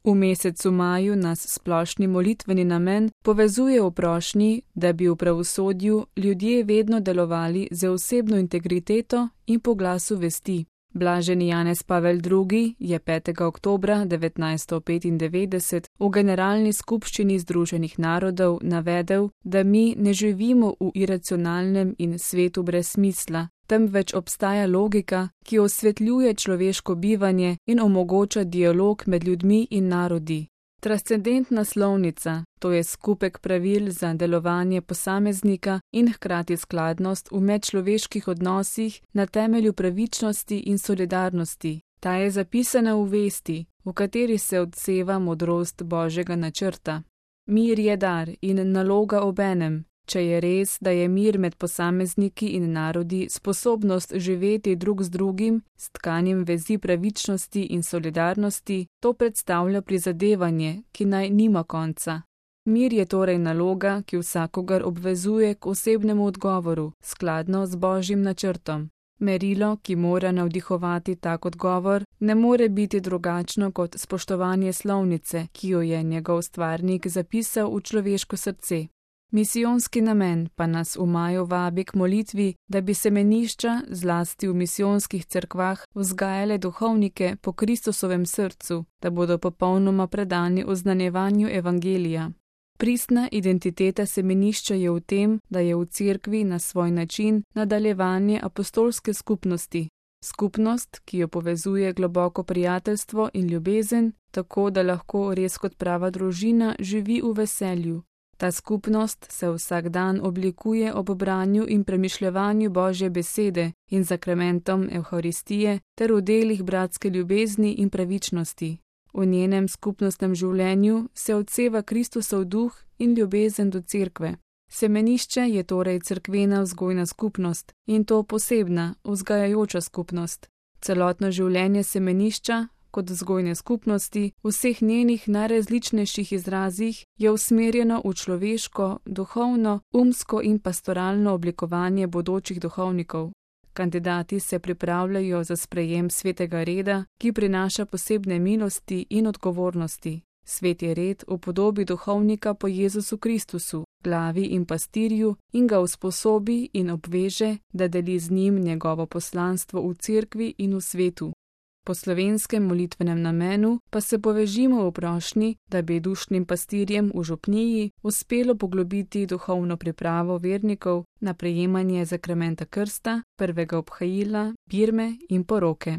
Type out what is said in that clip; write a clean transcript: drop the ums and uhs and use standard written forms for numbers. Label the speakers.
Speaker 1: V mesecu maju nas splošni molitveni namen povezuje v prošnji, da bi v pravosodju ljudje vedno delovali z osebno integriteto in po glasu vesti. Blaženi Janez Pavel II. Je 5. oktobra 1995 v Generalni skupščini Združenih narodov navedel, da mi ne živimo v iracionalnem in svetu brez smisla, temveč obstaja logika, ki osvetljuje človeško bivanje in omogoča dialog med ljudmi in narodi. Transcendentna slovnica, to je skupek pravil za delovanje posameznika in hkrati skladnost v medčloveških odnosih na temelju pravičnosti in solidarnosti. Ta je zapisana v vesti, v kateri se odseva modrost Božjega načrta. Mir je dar in naloga obenem. Če je res, da je mir med posamezniki in narodi sposobnost živeti drug z drugim, s tkanjem vezi pravičnosti in solidarnosti, to predstavlja prizadevanje, ki naj nima konca. Mir je torej naloga, ki vsakogar obvezuje k osebnemu odgovoru, skladno z Božjim načrtom. Merilo, ki mora navdihovati tak odgovor, ne more biti drugačno kot spoštovanje slovnice, ki jo je njegov stvarnik zapisal v človeško srce. Misijonski namen pa nas v maju vabi k molitvi, da bi semenišča, zlasti v misijonskih cerkvah, vzgajale duhovnike po Kristusovem srcu, da bodo popolnoma predani oznanjevanju evangelija. Pristna identiteta semenišča je v tem, da je v cerkvi na svoj način nadaljevanje apostolske skupnosti. Skupnost, ki jo povezuje globoko prijateljstvo in ljubezen, tako da lahko res kot prava družina živi v veselju. Ta skupnost se vsak dan oblikuje ob branju in premišljevanju Božje besede in zakramentom Evharistije ter v delih bratske ljubezni in pravičnosti. V njenem skupnostnem življenju se odseva Kristusov duh in ljubezen do cerkve. Semenišče je torej cerkvena vzgojna skupnost in to posebna, vzgajajoča skupnost. Celotno življenje semenišča, kot vzgojne skupnosti, v vseh njenih najrazličnejših izrazih, je usmerjeno v človeško, duhovno, umsko in pastoralno oblikovanje bodočih duhovnikov. Kandidati se pripravljajo za sprejem svetega reda, ki prinaša posebne milosti in odgovornosti. Sveti red v podobi duhovnika po Jezusu Kristusu, glavi in pastirju, in ga usposobi in obveže, da deli z njim njegovo poslanstvo v cerkvi in v svetu. Po slovenskem molitvenem namenu pa se povežimo v prošnji, da bi dušnim pastirjem v župniji uspelo poglobiti duhovno pripravo vernikov na prejemanje zakramenta krsta, prvega obhajila, birme in poroke.